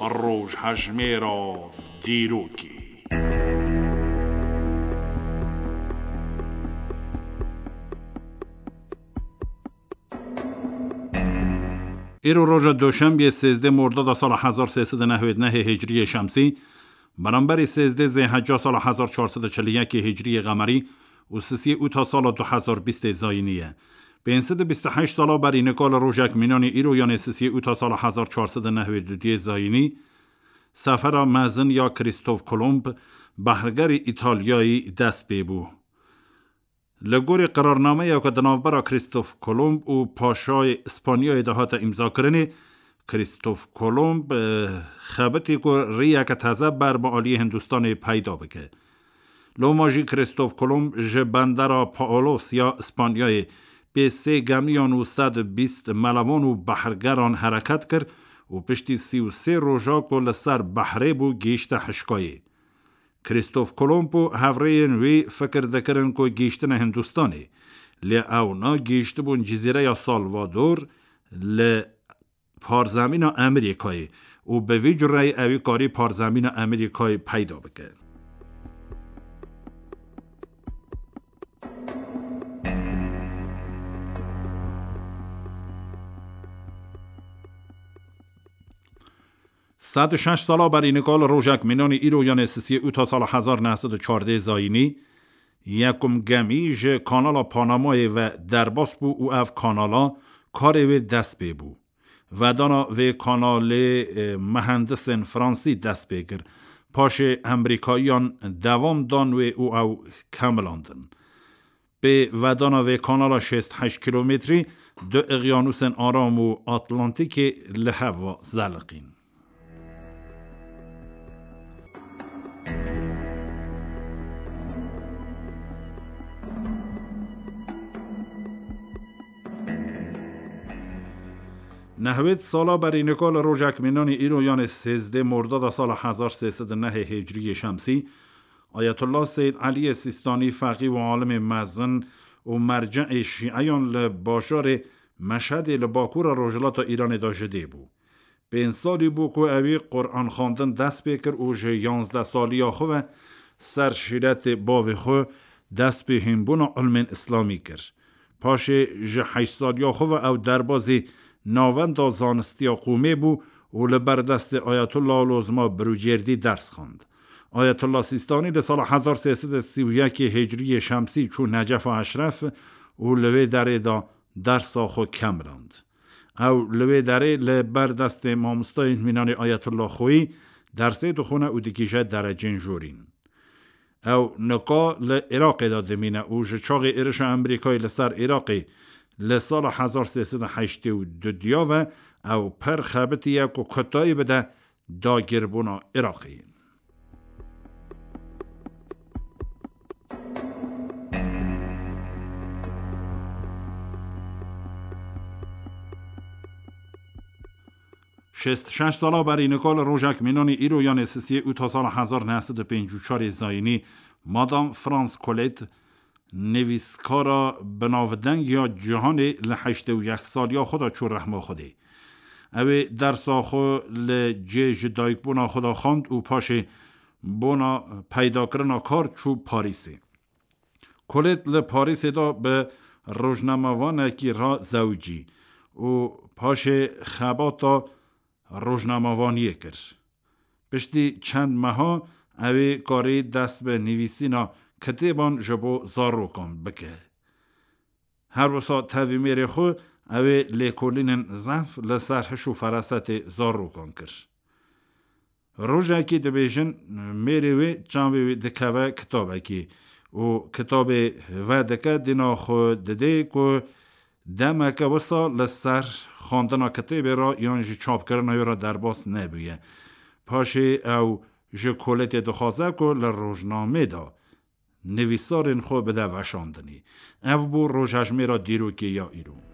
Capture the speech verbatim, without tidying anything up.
Rojhejmêra dîrokê. Îro roja Doşembiyê sêzdeh Mordada sala hezar sê sed û nehwêd nehê Hicriyê Şemsî, beramberî sêzdeh Zêhecca sala hezar çar sed û çil û yekê Hicriyê Qemerî û sisiyê ûta sala du hezar bîstê Zayînî ye. Pênc sed û bîst û heşt sala berî nika li rojek mînanê îro, yanê sisiyê ûta sala hezar çar sed û nehwêd û duyê Zayînî, sefera mezin ya Krîstof Kolomb, behrgerê Îtalyayî dest pê bû. Li gorî qirarnameya ku di navbera Krîstof Kolomb û Paşayê Îspanyayê de hate îmzakirinê, Krîstof Kolomb, e, xebitî ku rêyeke teze ber bi aliyê Hindistanê peyda bike. Loma jî Krîstof Kolomb ji bendera Paolos ya Îspanyayê pê sê gemiyan û sed û bîst melevan û behrgeran hereket kir û piştî sî û sê roja ku li ser behrê bû, gihîşte hişkayê. Krîstof Kolomb û hevrêyên wî fikir dikirin ku gihîştine Hindistanê, lê ewna gihîştibûn cizîreya Salvador li parzemîna Amerîkayê û bi vî cureyî ewî karî parzemîna Amerîkayê peyda bike. Sed û şeş sala berî nika li rojek mînanî îro, yanê sisiyê ûta sala hezar neh sed û çardeh Zayînî, yekum gemî ji kanala Panamayê ve derbas bû û ev kanala karê wê dest pê bû. Vedana vê kanalê, e, mehendisên fransî dest pê kir. Paşê Amerîkayiyan devam dan wê û ew kemilandin. Pê vedana vê kanala şêst heşt kîlometrî du Eqyanûsên Aram û Atlantîkê li hev ve zeliqîn. Nehwêd sala berî nika li rojek mînanî îro, yanê sêzdeh Mordada sala hezar sê sed û nehê Hicriyê Şemsî, Ayetullah Seyyid Eliyê Sîstanî, feqî û alimê mezin û merceê şîeyan li bajarê Meşhedê li bakûra rojhilata Îranê de ji dê bû. Pênc salî bû ku ewî Quran xwendin dest pê kir û ji yanzdeh saliya xwe ve ser şîretê bavê xwe dest pê hînbûna ilmên îslamî kir. Paşê ji heşt saliya xwe ve ew derbazî Navenda Zanistiya Qûmê bû û li ber destê Ayetullah Lozma Birûcêrdî ders xwend. Ayetullah Sîstanî li sala hezar sê sed û sî û yekê Hicriyê Şemsî çû Necefa Eşref û li wê derê de dersa xwe kemiland. Ew li wê derê li ber destê mamostayên mînanê Ayetullah Xoyî dersê dixwine û digihîje derecên jorîn. Ew nika li Iraqê de dimîne û ji çaxê êrişa Amerîkayê li ser Iraqê li sala hezar sê sed û heştê û du diya ve ew pir xebitiye ku kutayî bide dagirbûna Iraqê. Şêst şeş sala berî nika li rojek mînanî îro, yanê sisiyê ûta sala hezar neh sed û pêncî û çarê Zayînî, Madame France Colette, nivîskara binavdeng ya cîhanê, li heştê û yek saliya xwe de çû rehma Xwedê. Ew ê dersa xwe li cê ji dayikbûna xwe de xwend û paşê bona peydakirina kar çû Parîsê. Colette li Parîsê de bi rojnamevanekî re zewicî û paşê xebata rojnamevaniyê kir. Piştî çend meha ew ê karî dest bi nivîsîna kitêban ji bo zarokan bike. Her wisa tevî mêrê xwe ew ê lêkolînên zehf li ser hiş û ferasetê zarokan kir. Rojekê dibêjin mêrê wê çavê wê dikeve kitabekê û kitabê vedike, dîna xwe didê ku demeke wisa li ser xwendina kitêbê re yan jî çapkirina wê re derbas nebûye. Paşê ew ji Coletteê dixwaze ku li rojnamê de nivîsarên xwe bide veşandinê. Ev bû rojhejmêra dîrokê ya îro.